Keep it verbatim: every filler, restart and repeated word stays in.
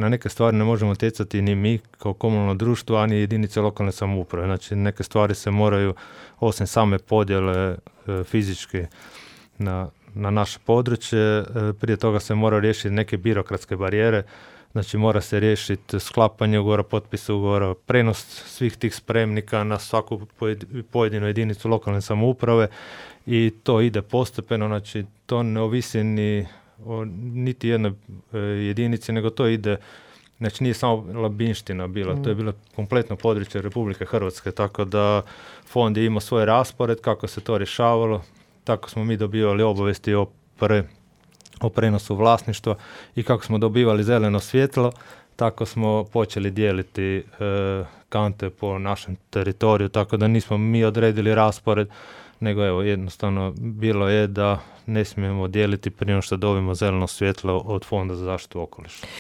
na neke stvari ne možemo utjecati ni mi kao komunalno društvo, ani jedinice lokalne samouprave. Znači neke stvari se moraju, osim same podjele e, fizički na, na naše područje, e, prije toga se mora riješiti neke birokratske barijere. Znači mora se riješiti sklapanje ugovora, potpis ugovora, prenos svih tih spremnika na svaku pojedinu jedinicu lokalne samouprave i to ide postepeno, znači to ne ovisi ni o niti jednoj e, jedinici, nego to ide, znači nije samo Labinština bila, mm. to je bilo kompletno područje Republike Hrvatske, tako da fond je imao svoj raspored, kako se to rješavalo, tako smo mi dobivali obavijesti o pre o prenosu vlasništva i kako smo dobivali zeleno svjetlo, tako smo počeli dijeliti e, kante po našem teritoriju, tako da nismo mi odredili raspored, nego evo jednostavno bilo je da ne smijemo dijeliti prije što dobijemo zeleno svjetlo od Fonda za zaštitu okoliša.